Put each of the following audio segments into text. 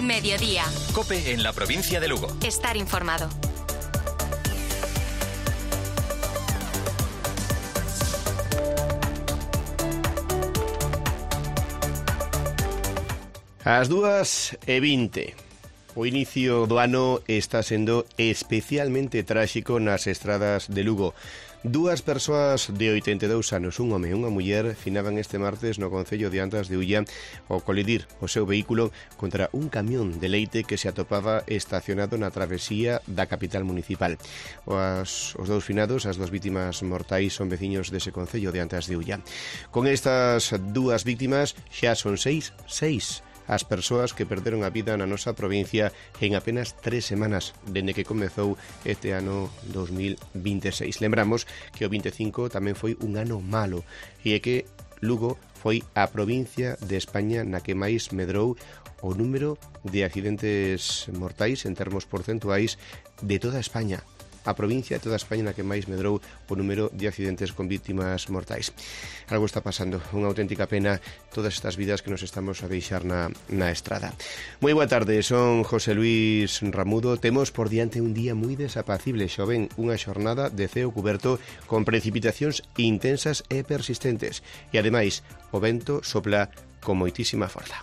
Mediodía. COPE en la provincia de Lugo. Estar informado. Ás 2:20. O inicio do ano está sendo especialmente tráxico nas estradas de Lugo. Dúas persoas de 82 anos, un home e unha muller, finaban este martes no concello de Antas de Ulla ao colidir o seu vehículo contra un camión de leite que se atopaba estacionado na travesía da capital municipal. Os dous finados, as dúas vítimas mortais, son veciños dese concello de Antas de Ulla. Con estas dúas vítimas xa son seis as persoas que perderon a vida na nosa provincia en apenas 3 semanas dende que comezou este ano 2026. Lembramos que o 25 tamén foi un ano malo e é que Lugo foi a provincia de España na que máis medrou o número de accidentes mortais en termos porcentuais de toda España. A provincia de toda España na que máis medrou o número de accidentes con vítimas mortais. Algo está pasando, unha auténtica pena todas estas vidas que nos estamos a deixar na estrada. Moi boa tarde, son José Luis Ramudo. Temos por diante un día moi desapacible, xoven, unha xornada de ceo cuberto con precipitacións intensas e persistentes. E ademais, o vento sopla con moitísima forza.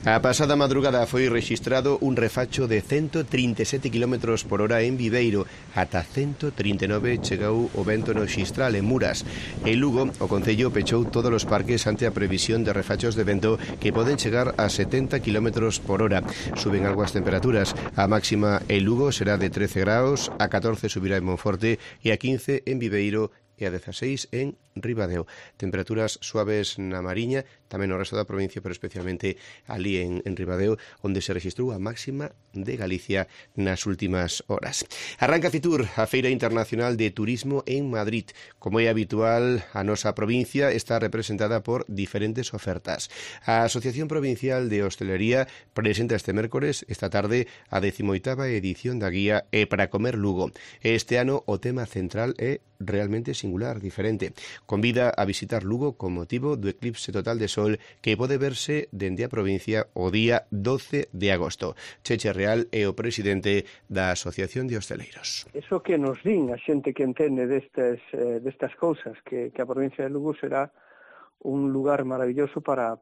A pasada madrugada foi rexistrado un refacho de 137 km por hora en Viveiro, ata 139 chegou o vento no Xistral en Muras. En Lugo, o concello pechou todos os parques ante a previsión de refachos de vento que poden chegar a 70 km por hora. Suben algo as temperaturas. A máxima en Lugo será de 13 graus, a 14 subirá en Monforte e a 15 en Viveiro e a 16 en Ribadeo. Temperaturas suaves na Mariña, tamén no resto da provincia, pero especialmente ali en Ribadeo, onde se registrou a máxima de Galicia nas últimas horas. Arranca Fitur, a Feira Internacional de Turismo en Madrid. Como é habitual, a nosa provincia está representada por diferentes ofertas. A Asociación Provincial de Hostelería presenta este mércores, esta tarde, a 18ª edición da guía E para comer Lugo. Este ano o tema central é realmente singular, diferente. Convida a visitar Lugo con motivo do eclipse total de sol que pode verse dende a provincia o día 12 de agosto. Cheche Real é o presidente da Asociación de Hosteleiros. Eso que nos din a xente que entende destas cousas, que a provincia de Lugo será un lugar maravilloso para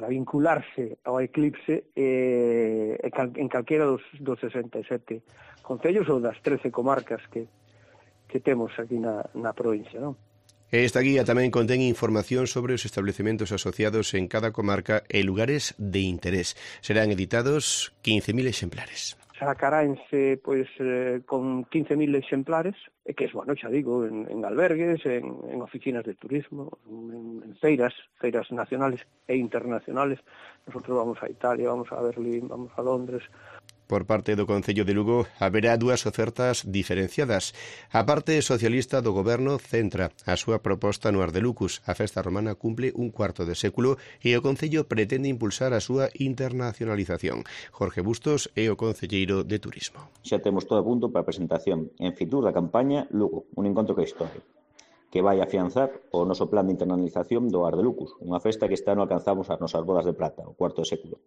vincularse ao eclipse en calquera dos 67 concellos ou das 13 comarcas que temos aquí na provincia, non? Esta guía tamén contén información sobre os establecementos asociados en cada comarca e lugares de interés. Serán editados 15.000 exemplares. Sacaráense con 15.000 exemplares, que é, bueno, xa digo, en albergues, en oficinas de turismo, en feiras nacionales e internacionales. Nosotros vamos a Italia, vamos a Berlín, vamos a Londres. Por parte do Concello de Lugo haberá dúas ofertas diferenciadas. A parte socialista do goberno centra a súa proposta no Ardelucus. A festa romana cumple un cuarto de século e o Concello pretende impulsar a súa internacionalización. Jorge Bustos é o concelleiro de Turismo. Xa temos todo a punto para a presentación en Fitur da campaña Lugo, un encontro que historia, que vai afianzar o noso plan de internacionalización do Ardelucus, unha festa que este ano alcanzamos as nosas bodas de plata, o cuarto de século.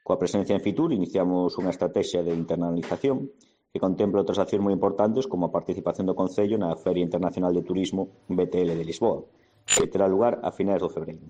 Coa presencia en Fitur iniciamos unha estrategia de internacionalización que contempla outras accións moi importantes como a participación do Concello na Feria Internacional de Turismo BTL de Lisboa, que terá lugar a finais de febreiro.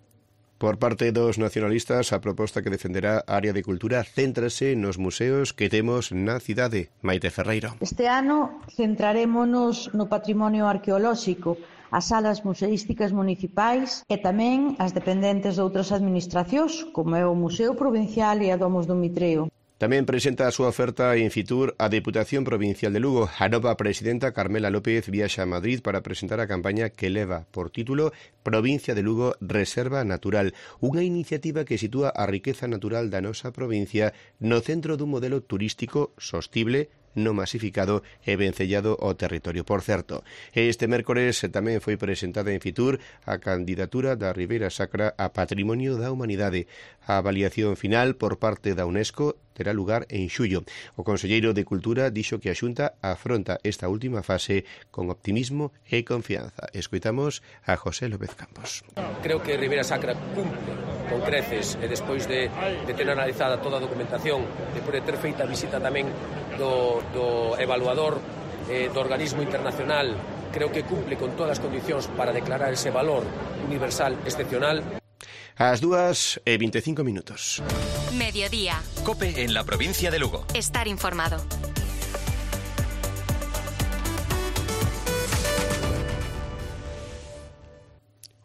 Por parte dos nacionalistas, a proposta que defenderá a área de cultura céntrase nos museos que temos na cidade. Maite Ferreiro. Este ano centrarémonos no patrimonio arqueolóxico, as salas museísticas municipais e tamén as dependentes de outras administracións, como é o Museo Provincial e a Domos do Mitreo. Tamén presenta a súa oferta en Fitur a Deputación Provincial de Lugo. A nova presidenta Carmela López viaxa a Madrid para presentar a campaña que leva por título Provincia de Lugo Reserva Natural, unha iniciativa que sitúa a riqueza natural da nosa provincia no centro dun modelo turístico sostible, no masificado e vencellado ao territorio. Por certo, este mércores tamén foi presentada en Fitur a candidatura da Ribeira Sacra a Patrimonio da Humanidade. A avaliación final por parte da UNESCO terá lugar en xullo. O conselleiro de Cultura dixo que a Xunta afronta esta última fase con optimismo e confianza. Escoitamos a José López Campos. Creo que Ribeira Sacra cumple con creces e despois de ter analizada toda a documentación, despois de ter feita a visita tamén do evaluador do organismo internacional, creo que cumple con todas as condicións para declarar ese valor universal excepcional. Ás 2:25 minutos. Mediodía. COPE en la provincia de Lugo. Estar informado.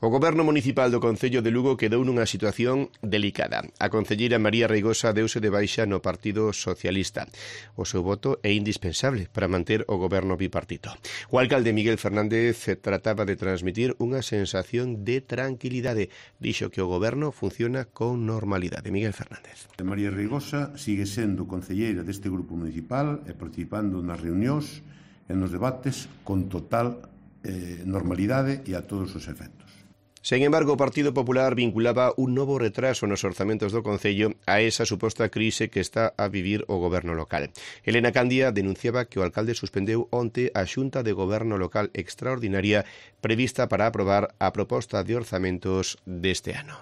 O Goberno Municipal do Concello de Lugo quedou nunha situación delicada. A concelleira María Reigosa deuse de baixa no Partido Socialista. O seu voto é indispensable para manter o goberno bipartito. O alcalde Miguel Fernández trataba de transmitir unha sensación de tranquilidade. Dixo que o goberno funciona con normalidade. Miguel Fernández. María Reigosa sigue sendo concelleira deste grupo municipal e participando nas reunións e nos debates con total normalidade e a todos os efectos. Sen embargo, o Partido Popular vinculaba un novo retraso nos orzamentos do Concello a esa suposta crise que está a vivir o goberno local. Elena Candia denunciaba que o alcalde suspendeu onte a Xunta de Goberno Local extraordinaria prevista para aprobar a proposta de orzamentos deste ano.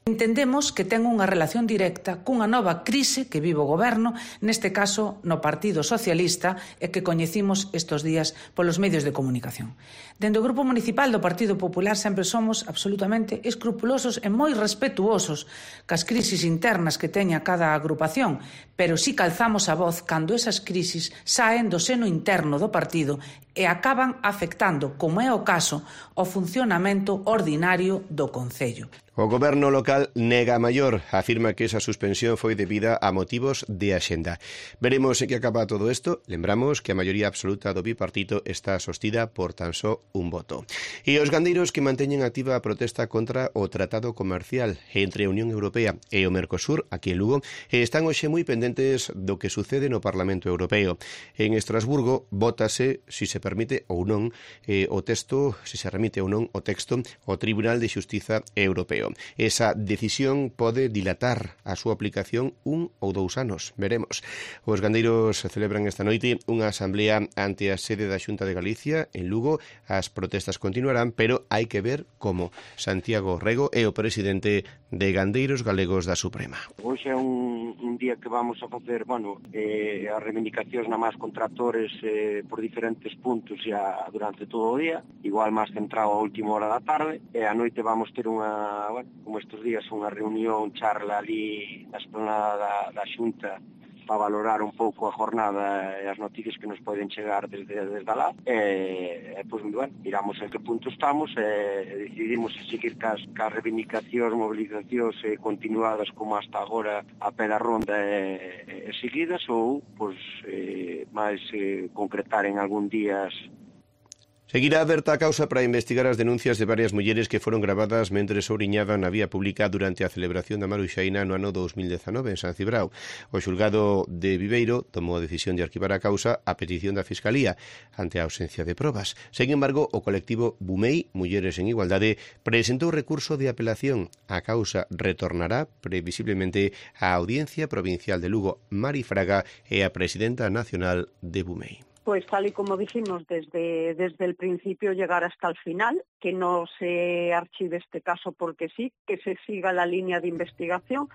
Entendemos que ten unha relación directa cunha nova crise que vive o goberno, neste caso no Partido Socialista, e que coñecimos estes días polos medios de comunicación. Dende o Grupo Municipal do Partido Popular sempre somos absolutamente escrupulosos e moi respetuosos cas crisis internas que teña cada agrupación, pero si calzamos a voz cando esas crisis saen do seno interno do partido e acaban afectando, como é o caso, o funcionamento ordinario do Concello. O goberno local nega a maior, afirma que esa suspensión foi debida a motivos de axenda. Veremos en que acaba todo isto. Lembramos que a maioría absoluta do bipartito está sostida por tan só un voto. E os gandeiros que manteñen activa a protesta contra o tratado comercial entre a Unión Europea e o Mercosur, aquí en Lugo, están hoxe moi pendentes do que sucede no Parlamento Europeo. En Estrasburgo vótase, si se permite ou non, o texto, si se remite ou non o texto ao Tribunal de Xustiza Europeo. Esa decisión pode dilatar a súa aplicación 1 ou 2 anos. Veremos. Os gandeiros celebran esta noite unha asamblea ante a sede da Xunta de Galicia en Lugo. As protestas continuarán, pero hai que ver como. Santiago Rego é o presidente de Gandeiros Galegos da Suprema. Hoxe é un día que vamos a facer, as reivindicacións na máis con tractores por diferentes puntos xa durante todo o día, igual máis centrado a última hora da tarde, e a noite vamos ter unha, como estes días, unha reunión, charla ali na esplanada da Xunta para valorar un pouco a jornada e as noticias que nos poden chegar desde lá. Miramos en que punto estamos e decidimos seguir cas reivindicacións, mobilizacións continuadas como hasta agora a pé da ronda e seguidas ou máis concretar en algún días. Seguirá aberta a causa para investigar as denuncias de varias mulleres que foron gravadas mentres ouriñaban na vía pública durante a celebración da Maruxaína no ano 2019 en San Cibrao. O xulgado de Viveiro tomou a decisión de arquivar a causa a petición da Fiscalía ante a ausencia de probas. Sen embargo, o colectivo Bumei, Mulleres en Igualdade, presentou recurso de apelación. A causa retornará previsiblemente á Audiencia Provincial de Lugo. Mari Fraga é a presidenta nacional de Bumei. Pues tal y como dijimos desde el principio, llegar hasta el final, que no se archive este caso porque sí, que se siga la línea de investigación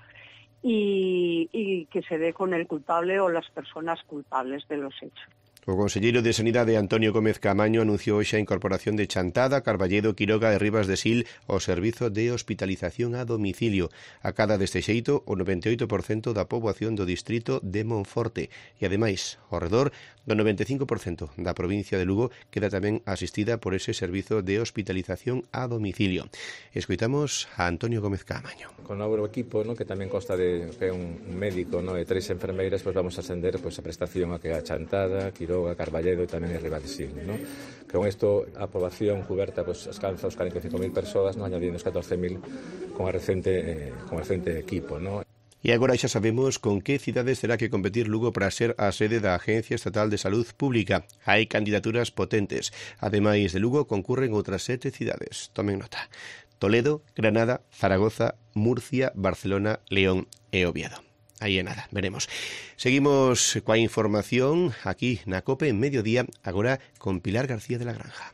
y que se dé con el culpable o las personas culpables de los hechos. O conselleiro de Sanidade Antonio Gómez Caamaño anunciou hoxe a incorporación de Chantada, Carballedo, Quiroga e Ribas de Sil ao servizo de hospitalización a domicilio. Acada deste xeito o 98% da poboación do distrito de Monforte e, ademais, ao redor do 95% da provincia de Lugo queda tamén asistida por ese servizo de hospitalización a domicilio. Escoitamos a Antonio Gómez Caamaño. Con o novo equipo, que tamén consta de un médico e 3 enfermeiras, vamos a ascender a prestación a que a Chantada, Quiroga, Carballedo e tamén a Ribas de Sil. Con isto a poboación cuberta alcanza os 45.000 persoas, añadindo os 14.000 con a recente equipo. E agora xa sabemos con que cidades terá que competir Lugo para ser a sede da Agencia Estatal de Salud Pública. Hai candidaturas potentes. Ademais de Lugo, concurren outras 7 cidades. Tomen nota: Toledo, Granada, Zaragoza, Murcia, Barcelona, León e Oviedo. Aí é nada, veremos. Seguimos coa información aquí na COPE en mediodía, agora con Pilar García de la Granja.